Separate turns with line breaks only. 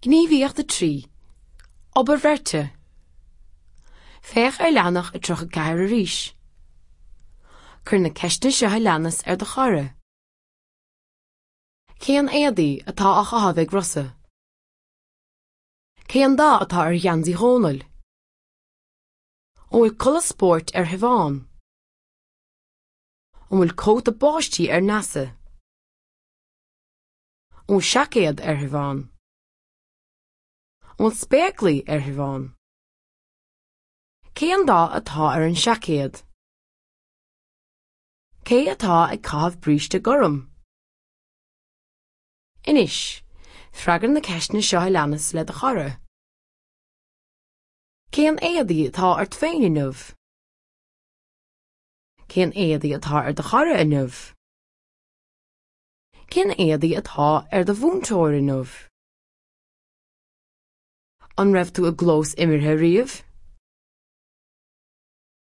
Gníomhaíocht 3, Obair Bheirte. Féach ar leathanach 34 arís. Cuir na ceisteanna seo a leanas ar do chara. Cén éadaí atá á chaitheamh ag Rosa? Cén dath atá ar gheansaí Dhónaill? An bhfuil culaith spóirt ar Shiobhán? An bhfuil cóta báistí ar Neasa? An bhfuil seaicéad ar Shiobhán? An bhfuil spéaclaí ar Shiobhán? Cén dath atá ar an seaicéad? Cé atá ag caitheamh bríste gorm? Anois, freagair na ceisteanna seo a leanas le do chara. Cén éadaí atá ort féin inniu? Cén éadaí atá ar do chara inniu? Cén éadaí atá ar do mhúinteoir inniu? An raibh tú i gclós imeartha riamh?